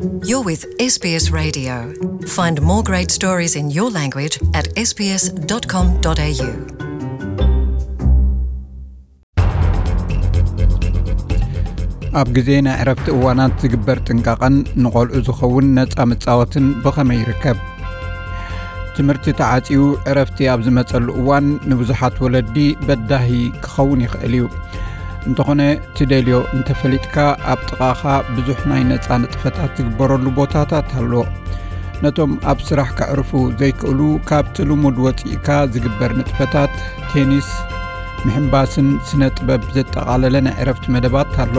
You're with S B S Radio. Find more great stories in your language at S B S dot com dot A U. ኣብ ግዜ ናይ ዕረፍቲ እዋናት ዝግበር ጥንቃቐን ንቖልዑ ዝኸውን ነጻ መጻወትን ብኸመይ ይርከብ? ትምህርቲ ተዓጽዩ ዕረፍቲ ኣብ ዝመጸሉ እዋን ንብዙሓት ወለዲ በዳሂ ክኸውን ይኽእል እዩ። እንተኾነ፣ ትደልዮ እንተፈሊጥካ፣ ኣብ ጥቓኻ ብዙሕ ናይ ነጻ ንጥፈታት ዝግበረሉ ቦታታት ኣሎ። ነቶም ኣብ ስራሕ ከዕርፉ ዘይክእሉ፣ ካብቲ ልሙድ ወጺእካ ዝግበር ንጥፈታት፣ ቴኒስ፣ ምሕንባስን ስነ ጥበብ ዘጠቓለለ ናይ ዕረፍቲ መደባት ኣሎ።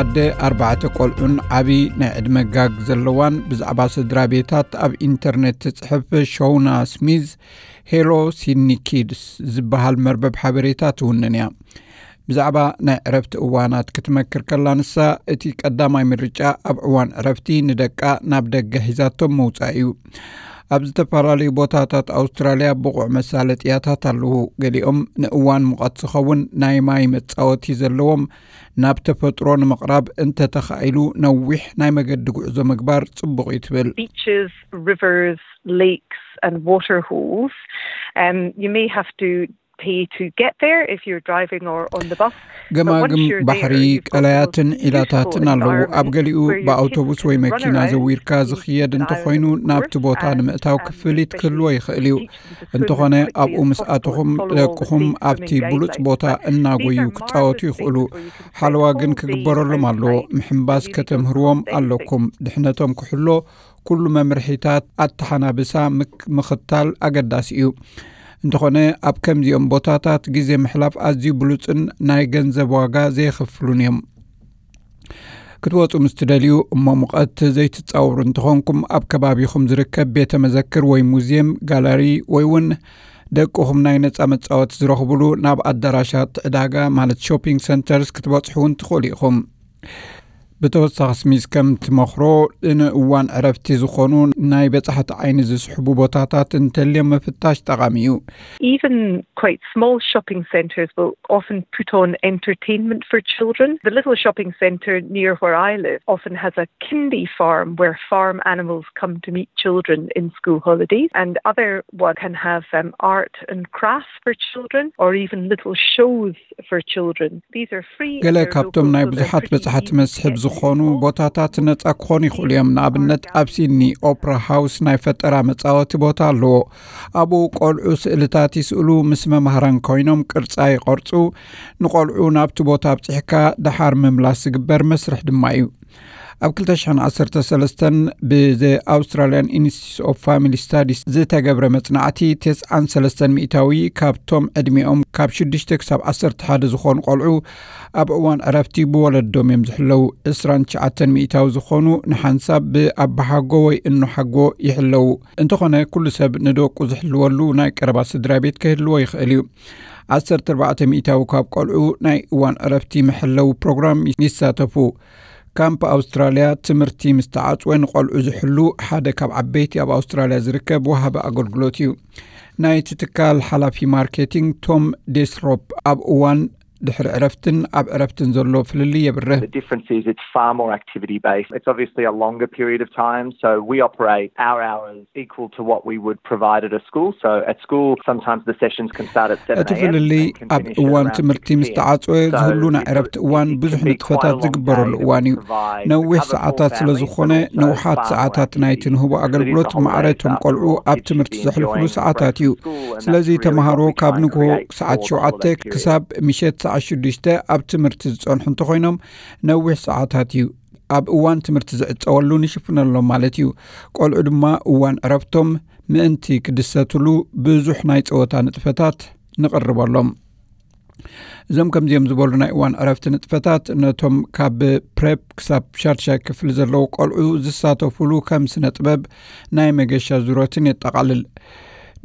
ኣደ ኣርባዕተ ቆልዑን ዓቢ ናይ ዕድመ ጋግ ዘለዋን ብዛዕባ ስድራ ቤታት ኣብ ኢንተርኔት ትጽሕፍ ሾውና ስሚዝ፣ ሄሎ ሲድኒ ኪድስ ዝበሃል መርበብ ሓበሬታ ትውንን እያ። ብዛዕባ ናይ ዕረፍቲ እዋናት ክትመክር ከላ፣ ንሳ እቲ ቀዳማይ ምርጫ ኣብ እዋን ዕረፍቲ ንደቃ ናብ ደገ ሒዛቶም ምውጻእ እዩ። ኣብ ዝተፈላለዩ ቦታታት ኣውስትራልያ ብቑዕ መሳለጥያታት ኣለዉ። ገሊኦም ንእዋን ሙቐት ዝኸውን ናይ ማይ መጻወቲ ዘለዎም፣ ናብ ተፈጥሮ ንምቕራብ እንተተኻኢሉ ነዊሕ ናይ መገዲ ጉዕዞ ምግባር ጽቡቕ እዩ ትብል። Beaches, rivers, lakes and water holes. Um, you may have to pay to get there if you're driving or on the bus. But once ገማግም you're ባሕሪ፣ there, you've got the ቀላያትን most ኢላታትን beautiful ኣለዉ። ኣብ environment ገሊኡ where your kids ብኣውቶቡስ ወይ can run መኪና around ዘዊርካ in ዝኽየድ style እንተኾይኑ፣ and ናብቲ comfort ቦታ and ንምእታው um, ክፍሊት especially ክህልዎ ይኽእል እዩ። teach them to swim እንተኾነ፣ as quickly ኣብኡ as ምስ possible ኣተኹም and follow all the ደቅኹም safe ኣብቲ swimming ብሉጽ guides. ቦታ Um, እናጎዩ they have ክጻወቱ marvelous ይኽእሉ። lakes where you can spend ሓለዋ ግን all day ክግበረሎም ኣለዎ። outside ምሕንባስ and you don't ከተምህርዎም have anything ኣለኩም። ድሕነቶም ክሕሎ ኩሉ መምርሒታት ኣተሓናብሳ ምክ-፣ ምኽታል ኣገዳሲ እዩ። እንተኾነ፣ ኣብ ከምዚኦም ቦታታት ግዜ ምሕላፍ ኣዝዩ ብሉጽን ናይ ገንዘብ ዋጋ ዘየኽፍሉን እዮም። ክትወጹ ምስ ትደልዩ እሞ ሙቐት ዘይትጻወሩ እንተኾንኩም፣ ኣብ ከባቢኹም ዝርከብ ቤተ መዘክር ወይ ሙዝየም፣ ጋላሪ ወይ እውን ደቅኹም ናይ ነጻ መጻወቲ ዝረኽቡሉ ናብ ኣዳራሻት ዕዳጋ፣ ማለት ሾፒንግ ሰንተርስ፣ ክትበጽሑ እውን ትኽእሉ ኢኹም። ብተወሳኺ፣ ስሚዝ ከም ትመኽሮ፣ ንእዋን ዕረፍቲ ዝኾኑ ናይ በጻሕቲ ዓይኒ ዝስሕቡ ቦታታት እንተልዮም ምፍታሽ ጠቓሚ እዩ። Even quite small shopping centres will often put on entertainment for children. The little shopping centre near where I live often has a kindy farm where farm animals come to meet children in school holidays. And other one can have um, art and crafts for children, or even little shows for children. These are free ገለ ካብቶም ናይ ብዙሓት በጻሕቲ መስሕብ ዝኾኑ ቦታታት ነጻ ክኾኑ ይኽእሉ እዮም። ንኣብነት፣ ኣብ ሲድኒ ኦፕራ ሃውስ ናይ ፈጠራ መጻወቲ ቦታ ኣለዎ። ኣብኡ ቆልዑ ስእልታት ይስእሉ፣ ምስ መማህራን ኮይኖም ቅርጻ ይቐርጹ። ንቆልዑ ናብቲ ቦታ ኣብጺሕካ ደሓር ምምላስ ዝግበር መስርሕ ድማ እዩ። ኣብ ክልተ ሽሕን ዓሰርተ ሰለስተን ብዘ ኣውስትራልያን ኢንስቲትዩት ኦፍ ፋሚሊ ስታዲስ ዝተገብረ መጽናዕቲ፣ ተስዓን ሰለስተን ሚእታዊ ካብቶም ዕድሚኦም ካብ ሽዱሽተ ክሳብ ዓሰርተ ሓደ ዝኾኑ ቆልዑ ኣብ እዋን ዕረፍቲ ብወለዶም እዮም ዝሕለዉ። ዕስራን ትሽዓተን ሚእታዊ ዝኾኑ ንሓንሳብ ብኣባሓጎ ወይ እኖሓጎ ይሕለዉ። እንተኾነ፣ ኩሉ ሰብ ንደቁ ዝሕልወሉ ናይ ቀረባ ስድራ ቤት ክህልዎ ይኽእል እዩ። ዓሰርተ ኣርባዕተ ሚእታዊ ካብ ቆልዑ ናይ እዋን ዕረፍቲ መሐለዊ ፕሮግራም ይሳተፉ። ካምፕ ኣውስትራልያ ትምህርቲ ምስ ተዓጽወ ንቆልዑ ዝሕሉ ሓደ ካብ ዓበይቲ ኣብ ኣውስትራልያ ዝርከብ ወሃቢ ኣገልግሎት እዩ። ናይቲ ትካል ሓላፊ ማርኬቲንግ ቶም ዴስሮፕ ኣብ እዋን ድሕሪ ዕረፍትን ኣብ ዕረፍትን ዘሎ ፍልልይ የብርህ። The difference is it's far more activity based. It's obviously a longer period of time, so we operate our hours equal to what we would provide at a school. So at school, sometimes the sessions can start at seven a.m. እቲ ፍልልይ ኣብ እዋን ትምህርቲ ምስ ተዓጽወ ዝህሉ ናይ ዕረፍቲ እዋን ብዙሕ ንጥፈታት ዝግበረሉ እዋን እዩ። ነዊሕ ሰዓታት ስለ ዝኾነ፣ ንውሓት ሰዓታት ናይቲ ንህቦ ኣገልግሎት ማዕረ እቶም ቆልዑ ኣብ ትምህርቲ ዘሕልፍሉ ሰዓታት እዩ። ስለዚ ተምሃሮ ካብ ንግሆ ሰዓት ሸውዓተ ክሳብ ምሸት ሰዓት ሽዱሽተ ኣብ ትምህርቲ ዝጸንሑ እንተኾይኖም፣ ነዊሕ ሰዓታት እዩ። ኣብ እዋን ትምህርቲ ዝዕጸወሉ ንሽፍነሎም ማለት እዩ። ቆልዑ ድማ እዋን ዕረፍቶም ምእንቲ ክድሰትሉ ብዙሕ ናይ ጸወታ ንጥፈታት ንቕርበሎም። እዞም ከምዚኦም ዝበሉ ናይ እዋን ዕረፍቲ ንጥፈታት ነቶም ካብ ፕሬፕ ክሳብ ሻድሻይ ክፍሊ ዘለዉ ቆልዑ ዝሳተፉሉ ከም ስነ ጥበብ፣ ናይ መገሻ ዙረትን የጠቓልል።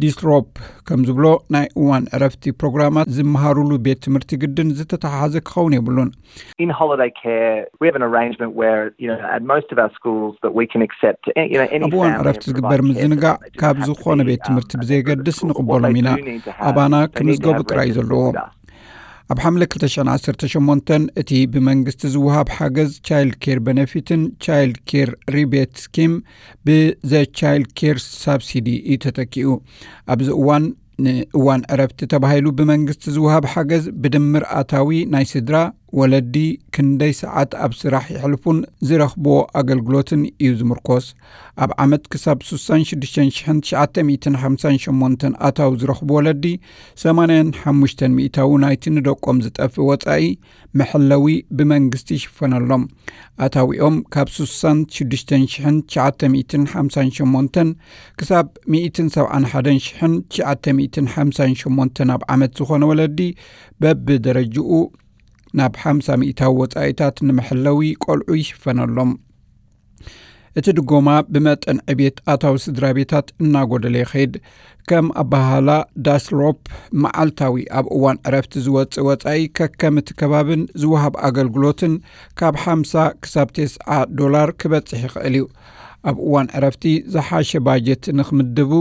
ዲስትሮፕ ከም ዝብሎ፣ ናይ እዋን ዕረፍቲ ፕሮግራማት ዝመሃሩሉ ቤት ትምህርቲ ግድን ዝተተሓሓዘ ክኸውን የብሉን። In holiday care, we have an arrangement where, you know, at most of our schools that we can accept, eh, you know, any ኣብ እዋን family ዕረፍቲ and ዝግበር provide care for ምዝንጋዕ them. They just ካብ have to ዝኾነ be, ቤት um, ትምህርቲ a ብዘየገድስ separate school. What ንቕበሎም they ኢና። Do need to have, ኣባና they need to ክምዝገቡ have ጥራይ registered ዘለዎም። With us. ኣብ ሓምለ ክልተ ሽሕን ዓሰርተ ሸሞንተን እቲ ብመንግስቲ ዝወሃብ ሓገዝ ቻይልድ ኬር ቤነፊትን ቻይልድ ኬር ሪቤት ስኪም ብዘ ቻይልድ ኬር ሳብሲዲ እዩ ተተኪኡ። ኣብዚ እዋን ንእዋን ዕረፍቲ ተባሂሉ ብመንግስቲ ዝወሃብ ሓገዝ ብድምር ኣታዊ ናይ ስድራ ወለዲ ክንደይ ሰዓት ኣብ ስራሕ ይሕልፉን ዝረኽብዎ ኣገልግሎትን እዩ ዝምርኮስ። ኣብ ዓመት ክሳብ ስሳን ሽዱሽተን ሽሕን ትሽዓተ ሚእትን ሓምሳን ሸሞንተን ኣታዊ ዝረኽቡ ወለዲ ሰማንያን ሓሙሽተን ሚእታዊ ናይቲ ንደቆም ዝጠፍእ ወጻኢ መሐለዊ ብመንግስቲ ይሽፈነሎም። ኣታዊኦም ካብ ስሳን ሽዱሽተን ሽሕን ትሽዓተ ሚእትን ሓምሳን ሸሞንተን ክሳብ ሚእትን ሰብዓን ሓደን ሽሕን ትሽዓተ ሚእትን ሓምሳን ሸሞንተን ኣብ ዓመት ዝኾነ ወለዲ በብደረጅኡ ናብ ሓምሳ ሚእታዊ ወጻኢታት ንመሐለዊ ቆልዑ ይሽፈነሎም። እቲ ድጎማ ብመጠን ዕቤት ኣታዊ ስድራ ቤታት እናጎደለ ይኸይድ። ከም ኣባሃላ ዳስሎፕ መዓልታዊ ኣብ እዋን ዕረፍቲ ዝወጽእ ወጻኢ ከከም እቲ ከባብን ዝወሃብ ኣገልግሎትን ካብ ሓምሳ ክሳብ ተስዓ ዶላር ክበጽሕ ይኽእል እዩ። ኣብ እዋን ዕረፍቲ ዝሓሸ ባጀት ንኽምድቡ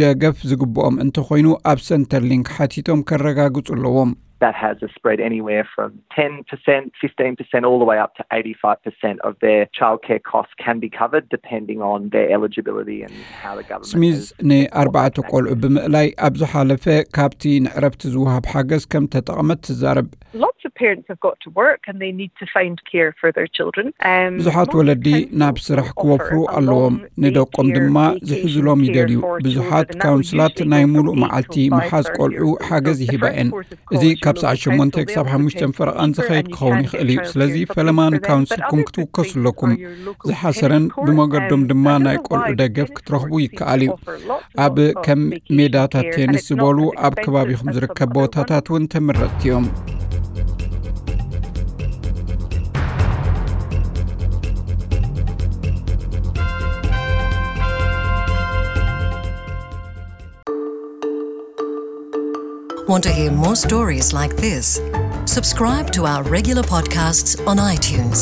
ደገፍ ዝግብኦም እንተኾይኑ ኣብ ሰንተር ሊንክ ሓቲቶም ከረጋግጹ ኣለዎም። That has a spread anywhere from ten percent, fifteen percent, all the way up to eighty-five percent of their childcare costs can be covered, depending on their eligibility and how the government ስሚዝ ንኣርባዕተ ቆልዑ ብምእላይ ኣብ ዝሓለፈ ካብቲ ንዕረፍቲ ዝወሃብ ሓገዝ ከም ተጠቕመት ትዛረብ። Lots of parents have got to work and they need to find care for their children. ብዙሓት ወለዲ ናብ ስራሕ ክወፍሩ ኣለዎም፣ ንደቆም ድማ ዝሕዝሎም ይደልዩ። ብዙሓት ካውንስላት ናይ ሙሉእ መዓልቲ ምሓዝ ቆልዑ ሓገዝ ይህባ እየን። እዚ ካብ ሰዓት ሸሞንተ ክሳብ ሓሙሽተ ፈረቓን ዝኸይድ ክኸውን ይኽእል እዩ። ስለዚ ፈለማ ንካውንስልኩም ክትውከሱ ኣለኩም። ዝሓሰረን ብመገዶም ድማ ናይ ቆልዑ ደገፍ ክትረኽቡ ይከኣል እዩ። ኣብ ከም ሜዳታት ቴኒስ ዝበሉ ኣብ ከባቢኹም ዝርከብ ቦታታት እውን ተመረፅቲ እዮም። Want to hear more stories like this? Subscribe to our regular podcasts on iTunes.